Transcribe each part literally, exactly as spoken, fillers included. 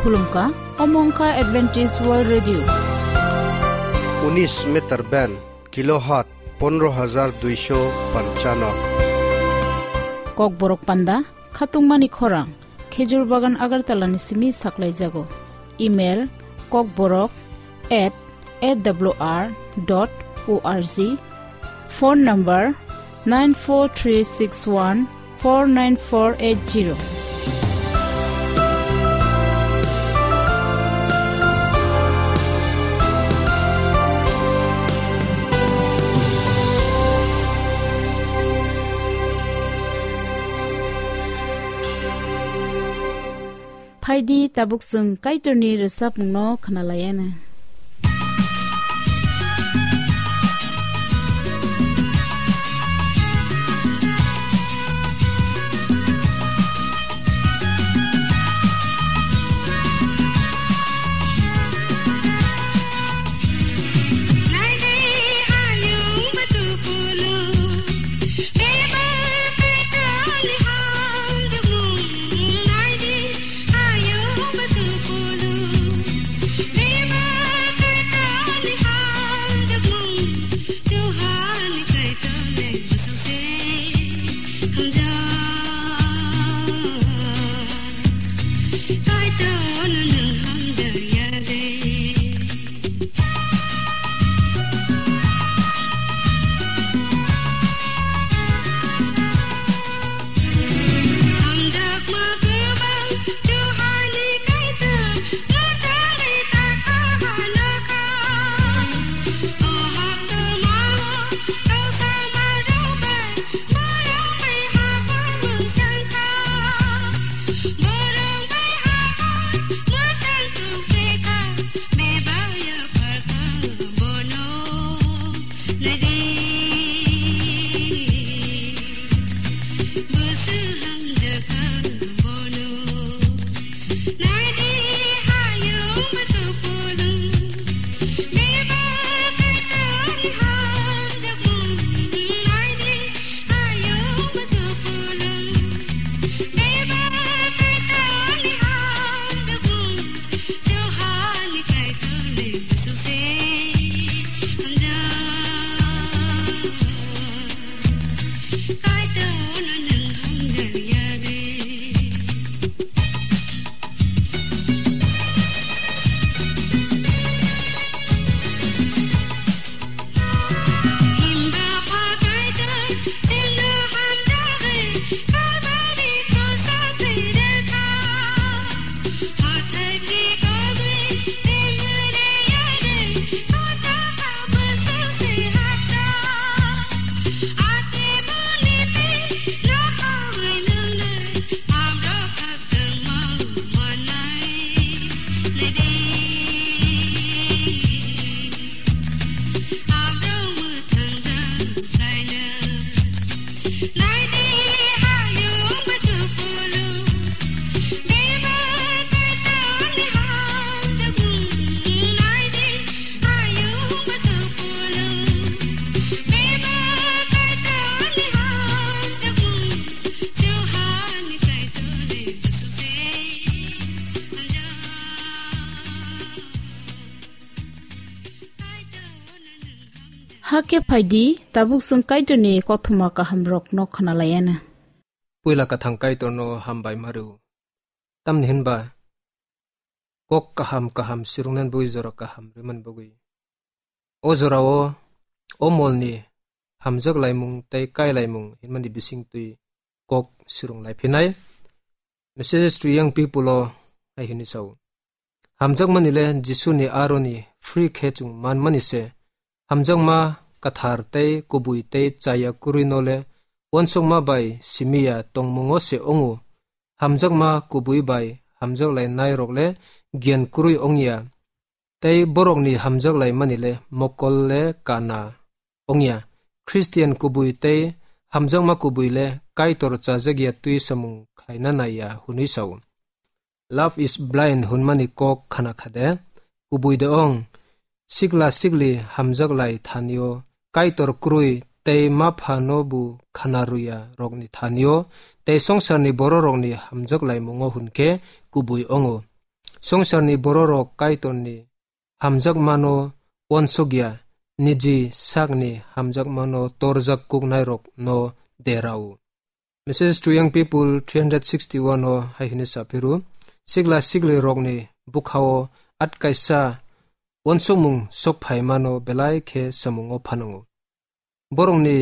Khulumkha, omo wngkha Adventist World Radio. Unis meter band, kilohertz pondro hajar duisho panchano. Kokborok panda, khatungmani khorang, Khejur Bagan Agartala ni simi saklaijago. Email, kokborok at A W R dot org. Phone number, nine four three six one four nine four eight zero. Phaidi tabuk chwng Kaitorni rwchapmungno khwnalaiana. Hakhe phaidi, tabuk chwng Kaitorni kothoma kahamrokno khwnalaiana. Puila kwthang Kaitorno hambai ma rw. Tamni hinba kok kaham kaham swrwngna bagwi jora kaham rwmani bagwi. O jorao o molni hamjak laimung tei kai laimung hinmani bisingtwi kok swrwng lai phinai. Messages to Young People o hai hwnwi sao. Hamjakmani le Jisuni aroni free khe chwng manmani se. Hamjakma kwthar tei kubui tei chaya kwrwi no le uansukma bai simi ya tongmungo se wngo. Hamjakma kubui bai hamjak lainai rok le giyan kwrwi wng ya. Tei borokni hamjak laimani le mokol le kana wng ya. Christian kubui tei hamjakma kubui le Kaitor chajak ya twi samung khlaina nai ya hwnwi sao. Love is blind hwnmani kok khana kha de? Kubui de ong, sikla sikli hamjak lai thanio, Kaitor kwrwi tei ma phano bu khana rwya rokni thanio, tei songsarni bororokni hamjak laimungo hwn khe kubui ongo. Songsarni bororok Kaitorni hamjakmano uansukya, niji sakni hamjakmano torjak kuknairokno derao. Message to Young People three hundred sixty-one o hai hwnwi saphiru, sikla siklirokni bukhao atkaisa uansukmung sokphaimano belai khe samungo phanango. Borokni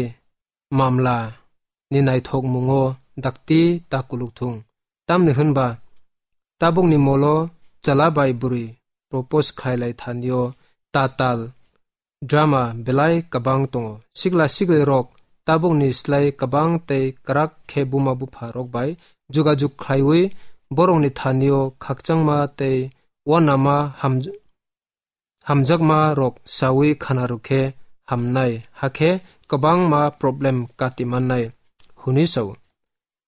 mamla ni naithokmungo dakti ta kuluk thung. Tamni hwnba tabukni molo chwla bai bwrwi propose khlailai thanio tatal drama belai kwbang tongo. Sikla siklirok tabukni slai kwbang tei kwrak khe buma bupha rok bai jugajug khlaiwi borokni thanio khakchangma tei uanama ham-, hamjakma rok sawi khana rwkhe hamnai, hakhe kwbangma problem kati mannai, hwnwi sao.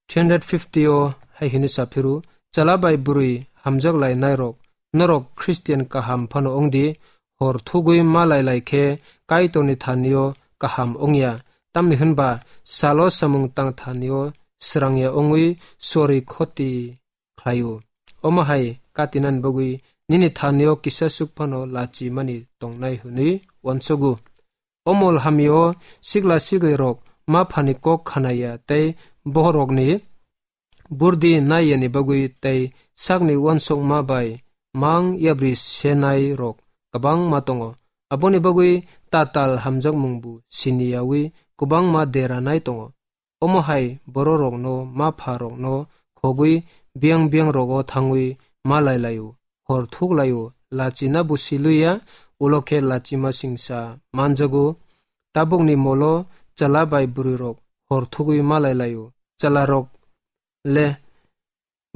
Three hundred fifty o hai hwnwi saphiru, chwla bai bwrwi hamjak lainairok, norok Christian kaham phano wngdi, hor thugwi ma lai lai khe Kaitorni thanio kaham wngya, tamni hwnba salo samung tang thanio srangya wngwi sorwi khoti khlaio. Omo hai katinani bagwi nini thanio kisa suk phano lachi mani tongnai hwnwi uansugo. O mol hamio sikla siklirok ma phani kok khanaya tei bohrokni burdi naiyani bagwi tei sakni uansukma bai mang yabri senai rok kwbangma tongo. Aboni bagwi tatal hamjakmung bu siniyawi kwbangma deranai tongo. Omo hai bororokno ma pha rokno khogwi biyang biyang rogo thangwi ma lai laio, hor thuk laio, lachina bo siluya, ulo khe lachima singsa manjago. Tabukni molo chwla bai bwrwi rok hor thugwi ma lai laio. Chwla rok le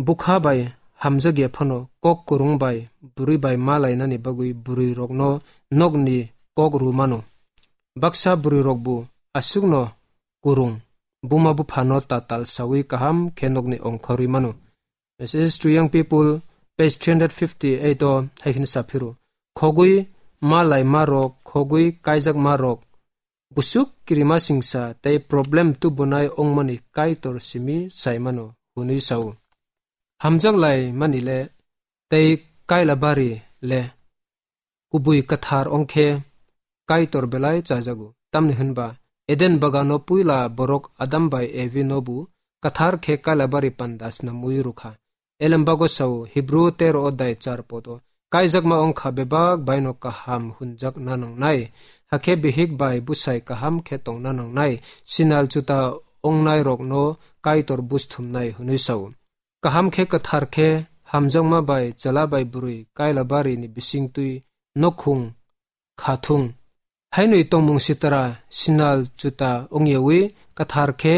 bukha bai hamjak ya phano kok kwrwng bai bwrwi bai ma lainani bagwi bwrwi rokno nokni kok rw mano. Baksa bwrwi rok bo aswkno kwrwng, buma buphano tatal sawi kaham khe nokni ongkhorwi mano. Message to Young People, page three hundred fifty-eight o hai hwnwi saphiru, khogwi ma lai ma rok, khogwi kaijak ma rok, busuk kirima singsa tei problem tubunai ongmani Kaitor simi saimano hwnwi sao. Hamjak lai mani le tei kaila bari le kubui kwthar ongkhe Kaitor belai chajago. Tamni hwnba Eden bagano puila borok Adam bai Evi no bu kwthar khe kaila bari panda snamwi rwkha. Elembago sao Hebrew tero odai char podo, kaijakma ongkha bebak baino kaham hunjak nanangnai, hakhe bihik bai busai kaham khe tongna nangnai, sinal chuta ongnai rokno Kaitor busthumnai hwnwi sao. Kaham khe kwthar khe hamjakma bai chwla bai bwrwi kaila bari ni bisingtwi nokhung kha thung. Hainwi tongmung sitra sinal chuta wngyawi kwthar khe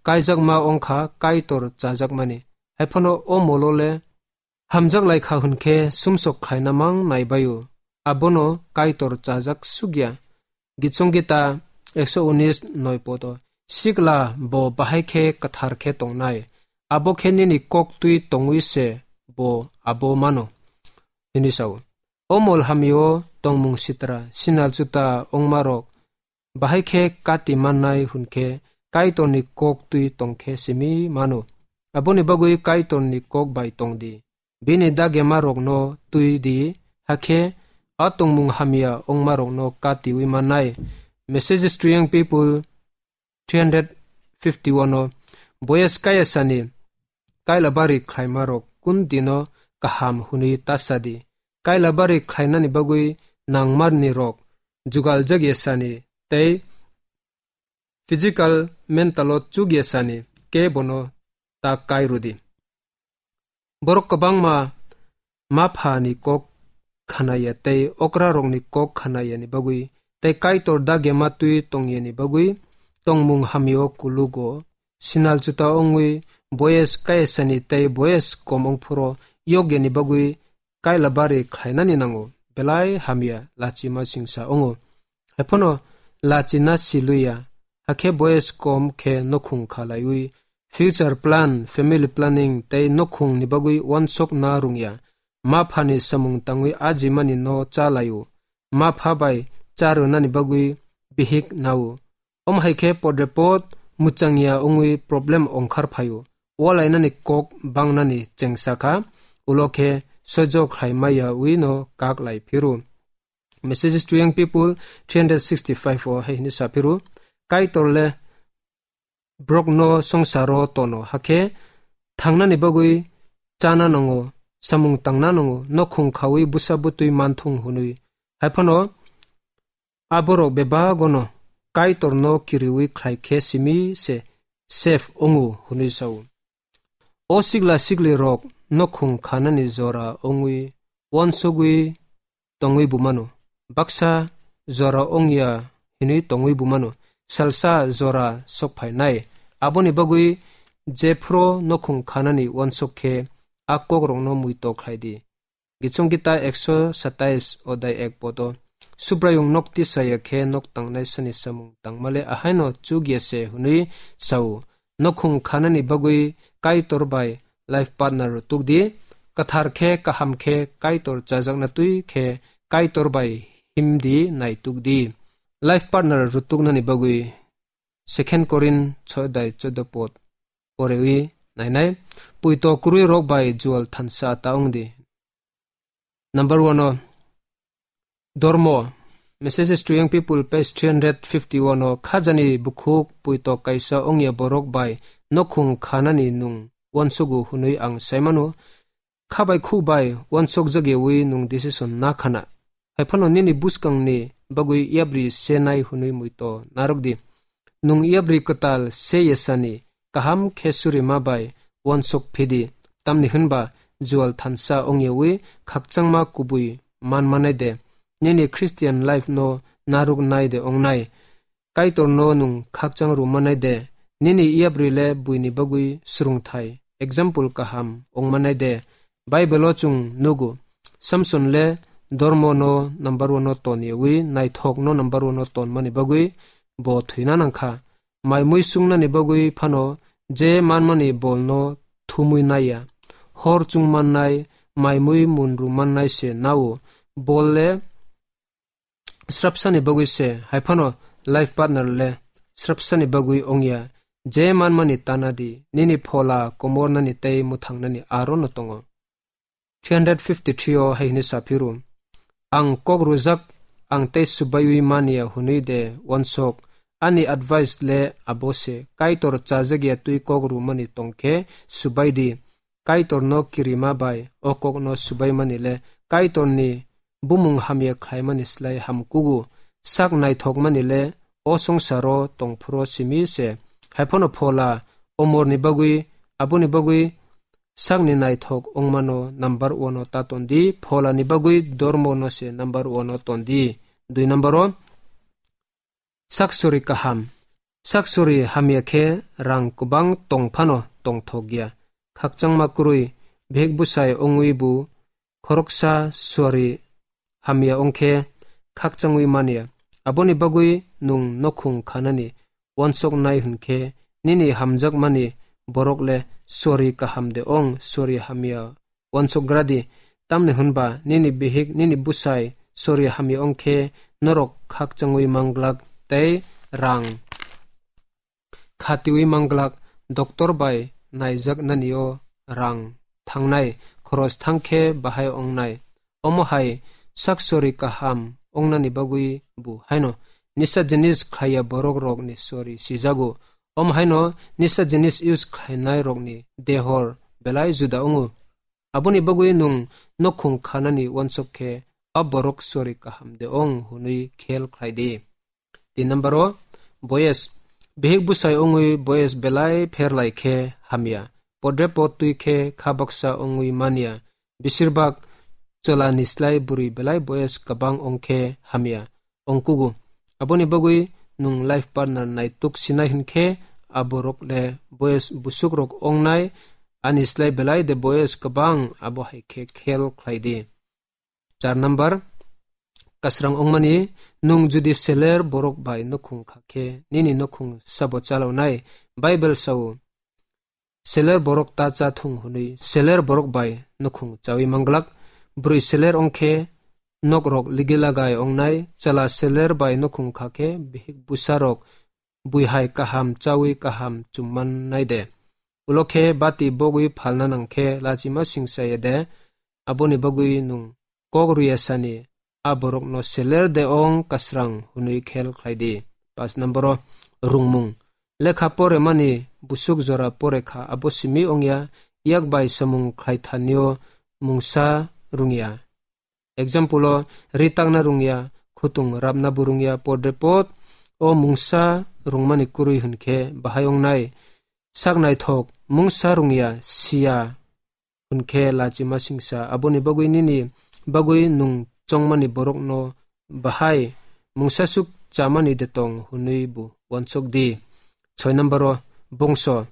kaijakma wngkha Kaitor chajakmani. Haiphano o molo le hamjak lai kha hwn khe sumsok khlaina mang nai baio. Abono Kaitor chajak sukya. Gitsong Gita ekso unis noi podo, sikla bo bahai khe kwthar khe tongnai, abo khe nini kok twi tongwi se bo abo mano, hwnwi sao. O mol hamio tongmung sitra, sinal chuta ongma rok bahai khe kati mannai hwn khe Kaitorni kok twi tong khe simi mano. Aboni bagwi Kaitorni kok bai tong di. Bini dagema rokno twi di, hakhe a tongmung hamya ongma rokno katiwi mannai. Messages to Young People three hundred fifty-one o, Boyes kaya sani kaila bari khlaima rok kun dino kaham hwnwi ta sa di. Kaila bari khlainani bagwi nangmarni rok jugal jagya sani tei physical, mental o chukya sani kebono ta kai rwdi. Borok kwbangma ma pha ni kok khanaya tei okra rokni kok khanaya ni bagwi tei Kaitor dagema twi tongya ni bagwi tongmung hamya o kulugo sinal chuta wngwi boyes kayasani tei boyes kom wngphuru yokya ni bagwi kaila bari khlainani nango, belai hamya lachima singsa wngo. Haiphano lachina siluya, hakhe boyes kom khe nokhung khalaiwi future plan, family planning tei nokhung ni bagwi wansok na rungya. Ma phani samung tangwi ajimani no cha laio. Ma pha bai cha rwnani bagwi bihik nao. Omo hai khe podrepot muchangya wngwi problem ongkhar phaio. Walainani kok bangnani chengsa kha, ulo khe soijo khlai maya wi no kak lai phiru. Messages to Young People three hundred sixty-five o hai hini sa phiru, Kaitor le brok no songsaro tono hakhe thangnani bagwi chana nango, samung tangna nango, nokhung khawi busa butwi manthung hwnwi. Haiphano aborok bebagono Kaitorno kiriwi khlai khe simi se safe ongo hwnwi sao. O sigla sigli rok nokhung khanani jora ongwi uansugwi tongwi bumano. Baksa jora ongya hinwi tongwi bumano. Salsa jora sokphainai. Aboni bagwi jephru nokhung khanani uansuk khe a kokrokno muito khlai di. Gichong Gita ekso satais odai ek podo. Subraiyung nok tisaya khe nok tangnai sani samung tangmale ahaino chukya se hwnwi sao. Nokhung khanani bagwi Kaitor bai life partner rwtuk di. Kathar khe, kaham khe, Kaitor chajakna twi khe Kaitor bai himdi naituk di. Life partner rwtuknani bagwi Second Korin sodai chodo pod porewi nainai. Puito kwrwi rok bai jual thansa ta ongdi. Number one o dormo, Messages to Young People, page three hundred fifty-one o, khajani bukhuk puito kaisa ongya borok bai nokhung khanani nung uansugo hwnwi ang saimano. Kha bai khu bai uansuk jagyawi nung decision na khana. Haiphano nini buskangni bagwi yapri se nai hwnwi muito narwk di. Nung yapri kwtal se yasani kaham khe surima bai uansuk phidi. Tamni hwnba jual thansa ongyawi khakchangma kubui man manai de. Nini Christian life no narwk nai de ongnai. Kaitorno nung khakchang rwmanai de, nini yapri le buini bagwi swrwngthai, example kaham wngmanai de. Bible-o chwng nugo, Samson le dormo no number one o ton yawi, naithok no number one o ton mani bagwi bo thwina nangkha. Mai mui sungnani bagwi phano je manmani bolno thumwi naiya. Hor chungmannai, mai mui munrumannai se nao. Bol le srapsani bagwi se, haiphano life partner le srapsani bagwi ongya. Je manmani tana di, nini phola komornani tei mwthangnani aro no tongo. Three hundred fifty-three o hai hwnwi saphiru, ang kok rwjak, ang tei swbaiwi manya hwnwi de uansuk, ani advice le abo se, Kaitor chajakya twi kok rwmani tongkhe swbai di. Kaitorno kirima bai o kokno swbaimani le Kaitorni bumung hamya khlaimani slai ham kugo. Sak naithokmani le o songsaro tongphuru simi se. Haiphano phola omorni bagwi, aboni bagwi sakni naithok wngmano number one o ta tondi, pholani bagwi dormono se number one o tondi. Dui number o, Saksori kaham. Saksori hamya khe rang kwbang tong phano tongthok ya. Khakchangma kwrwi bihik bwsai wngwi bo khoroksa suari hamya wng khe khakchangwi man ya. Aboni bagwi nwng nokhung khanani uansuknai hwn khe nini hamjakmani borok le suari kaham de ong, suari hamya uansukgra di, tamni hwnba nini bihik, nini bwsai sori hamya wng khe norok khakchangwi manglak tei rang khatiwi manglak, doctor bai naijaknani-o rang thangnai, khoros thang khe bahai wngnai. Omo hai saksori kaham wngnani bagwi bo haino nisa jinis khlaiya borok rokni sori sijago. Omo haino nisa jinis use khlainai rokni dehor belai juda wngo. Aboni bagwi nwng nokhung khanani uansuk khe a borok sori kaham de ong hwnwi khel khlai di. Tin number o, boyes. Bihik bwsai wngwi boyes belai pher lai khe hamya. Podre pod twi khe kha baksa wngwi man ya. Besirbak chwla ni slai bwrwi belai boyes kwbang wng khe hamya. Ongkugo. Aboni bagwi nwng life partner naituk sinai hwn khe a borok le boyes busuk rok wngnai, ani slai belai de boyes kwbang, abo hai khe khel khlai di. Char number, kasrang wngmani, nwng jodi seler borok bai nokhung kha khe nini nokhung sabo chalawnai? Bible sao, seler borok ta cha thung hwnwi seler borok bai nokhung chawi manglak. Bwrwi seler wng khe nok rok ligi lagai wngnai, chwla seler bai nokhung kha khe bihik bwsa rok bui hai kaham chawi kaham chum mannai de. Ulo khe bati bogwi phalna nang khe lachima singsa ya de. Aboni bagwi nwng kok rwya sani a borokno seler de ong kasrang hwnwi khel khlai di. Pas number o rungmung. Lekha poremani busuk jora porekha abo simi ongya, yak bai samung khlai thanio mungsa rungya. Example o ri takna rungya, khutung rapna bo rungya, podre pod o mungsa rungmani kwrwi hwnkhe bahai ongnai. Sak naithok mungsa rungya siya hwnkhe lachima singsa, aboni bagwi nini bagwi nwng chongmani borokno bahai mungsasuk chamani de tong hwnwi bo uansuk di. Soi number o bongso.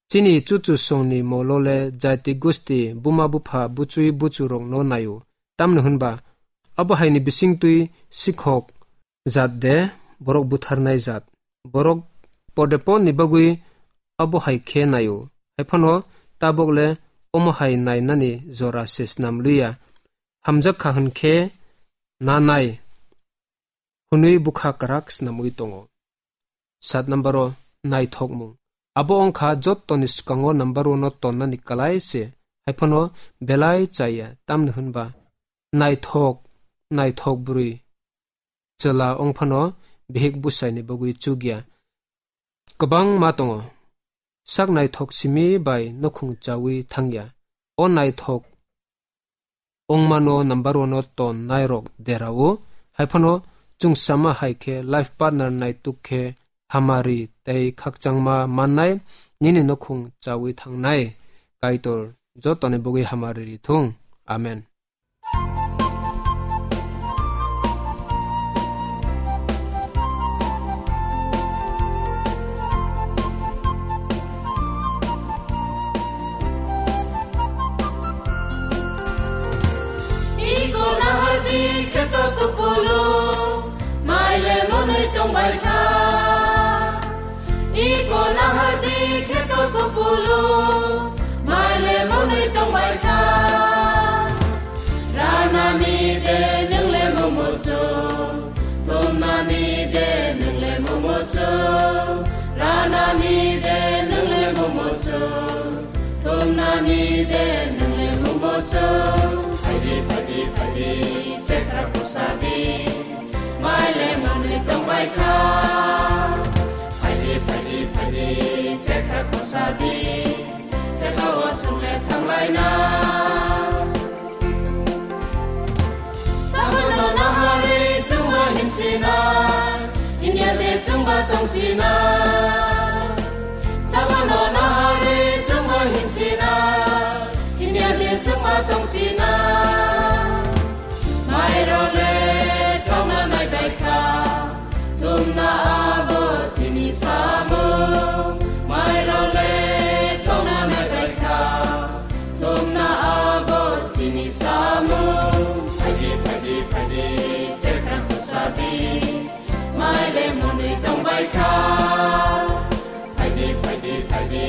Chini chuchu songni molo le jati gusti, buma bupha, buchui buchurokno naio. Tamni hwnba abo haini bisingtwi sikhok jat de, borok butharnai jat. Borok podeponni bagwi abo hai khe naio. Haiphano tabok le omo hai nainani jora se snam liya. Hamjak kha hwn khe na nai hwnwi bwkha kwrak snamwi tongo. Sat number o naithokmung. Abo wngkha jottoni swkango number one o tonnani kwlai se. Haiphano belai chaya, tamni hwnba naithok, naithok bwrwi chwla wngphano bihik busaini bagwi chukya. Kwbangma tongo. Sak naithok simi bai nukhung chawi thangya. O naithok wngmano number one o ton nairok derao. Haiphano chwngsama hai khe life partner naituk khe hamari tei khakchangma mannai nini nukhung chawi thangnai. Kaitor jotoni bagwi hamari rithung. Amen. Iko nahardi kheto kupulu, maile monwi tongbai kha. Iko nahardi kheto kupulu, maile monwi tongbai kha. Ranani de nwngle mumusu, tumnani de nwngle mumusu. Ranani de nwngle mumusu, tumnani de nwngle mumusu. Phaidi, phaidi, phaidi, sekra kusadi, maile monwi tongbai kha. Phaidi, phaidi, phaidi, sekra kusadi, tebo o sungle thanglaina. Sabono naharwi chwngbo himsina, himya de chwngbo tongsina. Sabono naharwi chwngbo himsina, himya de chwngbo tongsina. Mairole songna naibaikha, tumna abo chini samung. Mairole songna naibaikha, tumna abo chini samung. Phaidi, phaidi, phaidi, sekra kusadi, maile monwi tongbaikha. Phaidi, phaidi, phaidi,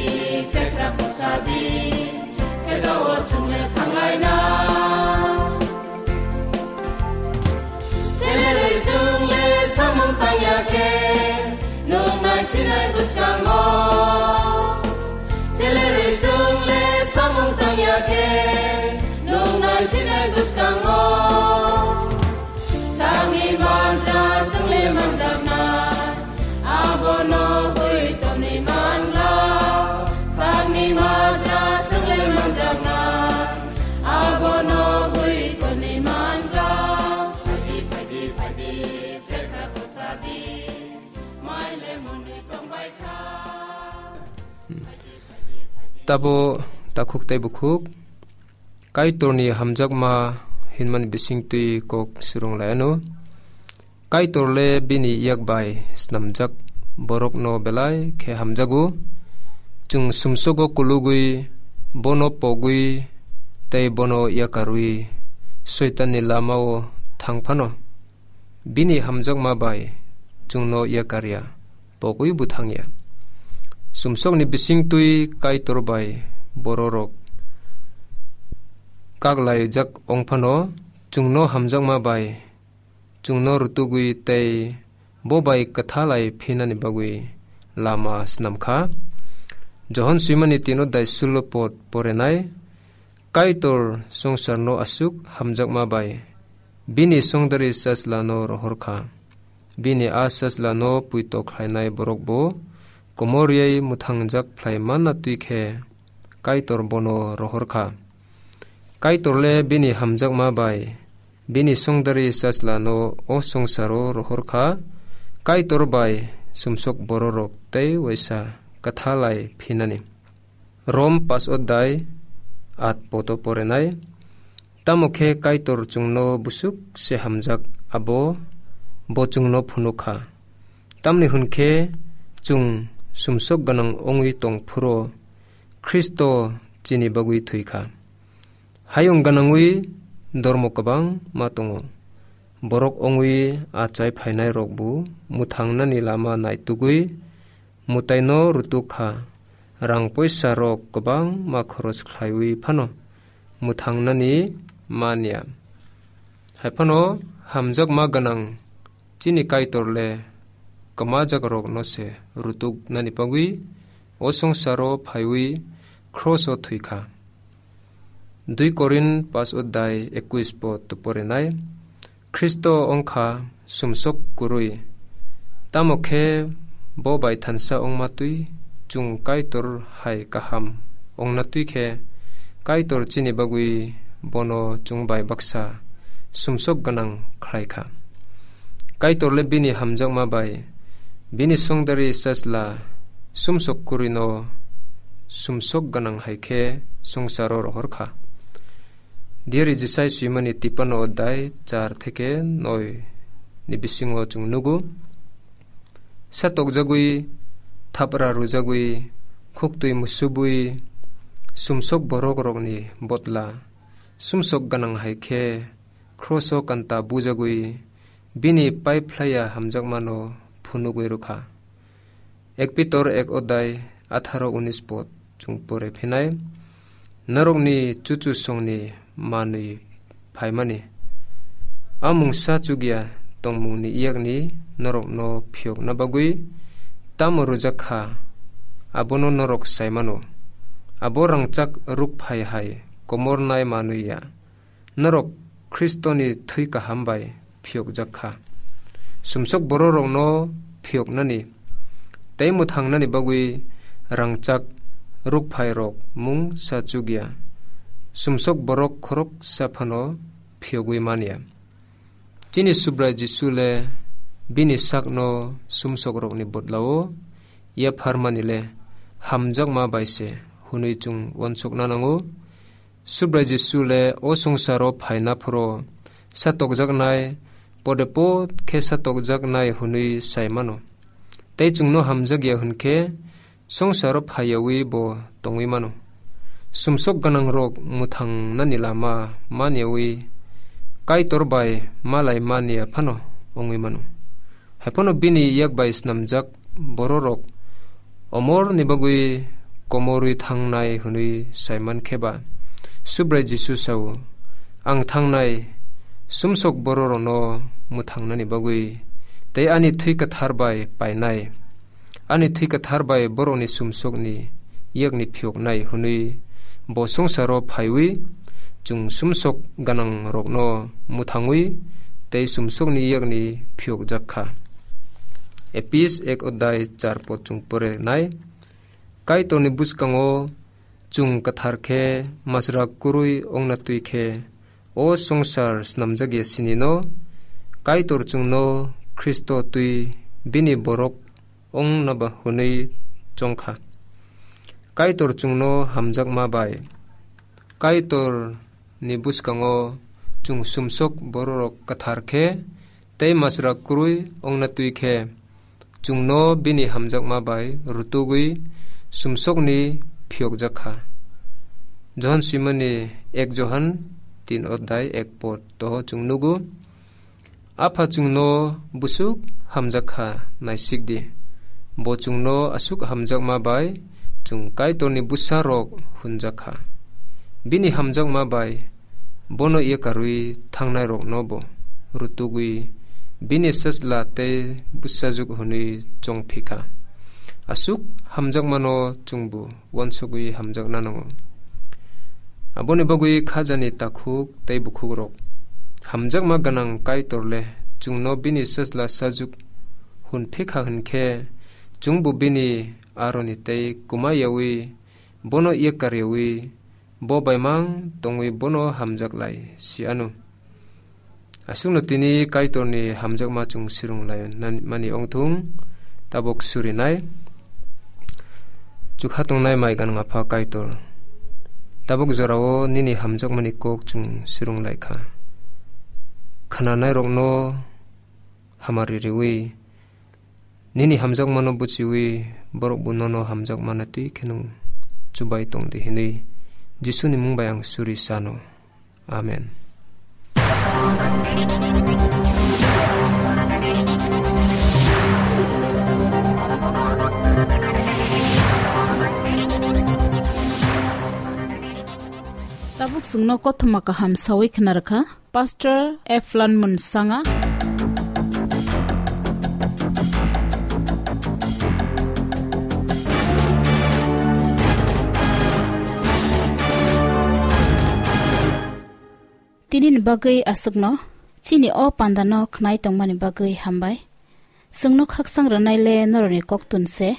sekra kusadi, kheto o chwngle thanglaina. Selerwi chwngle samung tangya khe, nung naisinai bwskango. Selerwi chwngle samung tangya khe, nung naisinai bwskango. Sakni majra chwngle manjaknai, abono hui toni mangla. Sakni majra chwngle manjaknai, abono hui toni mangla. Phaidi, phaidi, phaidi, sekra kusadi, maile monwi tongbaikha. Tabo takhuk tei bukhuk. Kaitorni hamjakma hinmani bisingtwi kok swrwng lai anw. Kaitor le bini yak bai snamjak borokno belai khe hamjago. Chwng sumsogo kulugwi, bono pogwi tei bono yakarwi Soitanni lamao thang phano, bini hamjakma bai chwngno yakarya, pogwi bo thangya. Sumsokni bisingtwi Kaitor bai bororok kaklaijak wng phano, chwngno hamjakma bai chwngno rutugwi tei bo bai kwthalai phinani bagwi lama snam kha. Johon swimani tino daisullo pod porenai. Kaitor swngcharno aswk hamjakma bai bini songdari Sajlano rohor kha. Bini a Sajlano puito khlainai borok bo komor rwui mwthangjak phlai manna twi khe Kaitor bono rohor kha. Kaitor le bini hamjakma bai bini songdari Sajlano o swngcharo rohor kha, Kaitor bai sumsok bororok tei uaisa kwthalai phinani. Rom pas odai at poto porenai. Tamo khe Kaitor chwngno busuk se hamjak, abo bo chwngno phunuk kha. Tamni hwn khe chwng sumsok gwnang wngwi tong phuru Khristo chini bagwi thwi kha. Hayung gwnangwi dormo kwbangma tongo. Borok wngwi achai phainairokbo mwthangnani lama naitugwi mwtaino rutuk kha. Rang poisarok kwbangma khoroch khlaiwi phano mwthangnani man ya. Hai phano hamjakma gwnang chini Kaitor le kwmajakrokno se rutuknani bagwi o swngcharo phaiwi kroso thwi kha. Dui Korin pas odai ekwis pot porinai. Khristo wngkha sumsok kwrwi, tamo khe bo bai thansa wngma twi chwng Kaitor hai kaham wngna twi khe Kaitor chini bagwi bono chwng bai baksa sumsok gwnang khlai kha. Kaitor le bini hamjakma bai bini songdari Sajla sumsok kwrwino sumsok gwnang hai khe swngcharo rohor kha. Diari Jisai swimani tipano odai char theke noi ni bisingo chwng nugo. Satokjagwi, thapra rwjagwi, khuktwi musubwi, sumsok borokrokni botla, sumsok gwnang hai khe, kroso kanta bujagwi, bini paiphlaiya hamjakmano phunugwi rwkha. Ek Pitor ek odai atharo unis pot chwng pore phinai, norokni chuchu songni manwi phaimani. A mungsa chukya tongmungni yakni norokno phiyokna bagwi tamo rwjak kha, abono norok sai mano. Abo rangchak ruk phai hai komornai manwi ya. Norok Khristoni thwi kaham bai phiyokjak kha. Sumsok bororokno phiyoknani tei mwthangnani bagwi rangchak rukphairok mungsa chukya. Sumsok borok khoroksa phano phiyogwi man ya. Chini Subrai Jisu le bini sakno sumsokrokni bodlao yapharmani le hamjakma bai se hwnwi chwng uansukna nango. Subrai Jisu le o swngcharo phaina phuru satokjaknai, pode pod khe satokjaknai hwnwi sai mano. Tei chwngno hamjakya hwn khe swngcharo phaiyawi bo tongwi mano. Sumsok gwnangrok mwthangnani lama man yawi Kaitor bai malai man ya phano wngwi mano. Hai phano bini yak bai snamjak bororok omorni bagwi komorwi thangnai hwnwi sai man khe ba, Subrai Jisu sao, "Ang thangnai sumsok bororokno mwthangnani bagwi tei ani thwi kwthar bai painai. Ani thwi kwthar bai borokni sumsokni yakni phiyoknai," hwnwi bo swngcharo phaiwi chwng sumsok gwnangrokno mwthangwi tei sumsokni yakni phiyokjak kha. Epis ek odai char pod chwng pore nai. Kaitorni bwskango chwng kwthar khe masra kwrwi wngna twi khe o swngchar snamjakya sinino Kaitor chwngno Khristo twi bini borok wngna ba hwnwi chong kha. Kaitor chwngno hamjakma bai Kaitor ni bwskango chwng sumsok bororok kwthar khe tei masra kwrwi wngna twi khe chwngno bini hamjakma bai rutugwi sumsokni phiyokjak kha. Johon swimani ek Johon tin odai ek pod to chwng nugo. Apha chwngno busuk hamjak kha, naisik di. Bo chwngno aswk hamjakma bai chwng Kaitorni bwsarok hwnjak kha. Bini hamjakma bai bono yakarwi thangnairokno bo rutugwi bini sachla tei bwsajwk hwnwi chong phi kha. Aswk hamjakmano chwngbo uansugwi hamjakna nango. Aboni bagwi khajani takhuk tei bukhukrok. Hamjakma gwnang Kaitor le chwngno bini sajla sajwk hwn phikha hwn khe, chwngbo bini aroni tei kwma yaui, bono yekar yaui, bo baimang tongwi bono hamjak lai si anw. Aswkno tini Kaitorni hamjakma chwng swrwng lai mani ongthung, tabuk surinai. Chukha tongnai mai gwnang Apha Kaitor, tabuk jorao nini hamjakmani kok chwng swrwng lai kha. Khnanairokno hamari riwi, nini hamjakmano buchiwi, borok bo nono hamjakmano twi kheno chubai tong di hwnwi Jisuni mung bai ang suri sano. Amen. Tabuk chwngno kothoma kaham sawi khna rwkha Pastor Eflan Munsanga. Tinini bagwi aswkno, chini o pandano khnai tongmani bagwi hambai. Chwngno khaksang rwnai le norokni koktun se,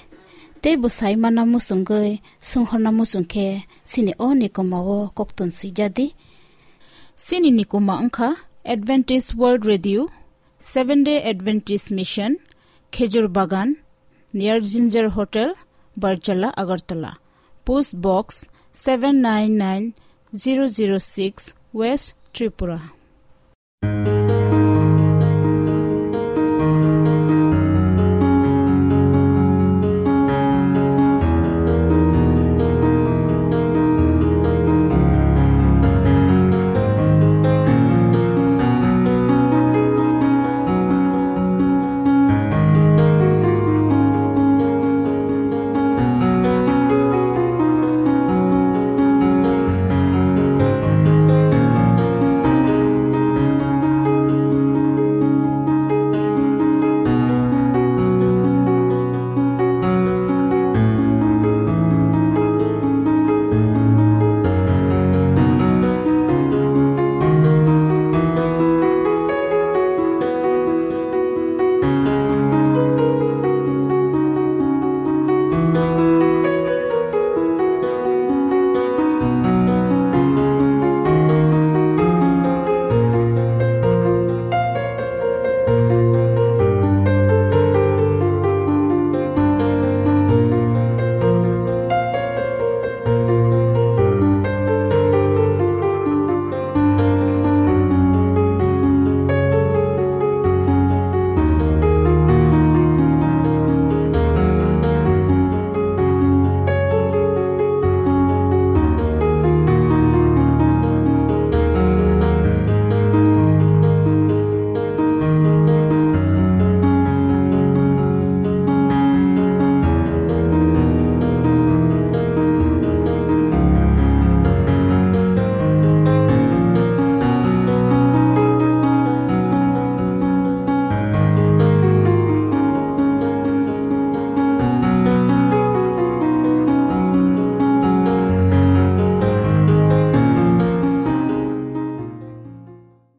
tei bwsai mana muchungwi swnghorna muchung khe chini o nikomao koktun swijadi. Chini nikoma wngkha Adventist World Radio, Seventh Day Adventist Mission, Khejur Bagan, near Ginger Hotel, Barjala, Agartala. Post Box seven nine nine zero zero six, West Tripura.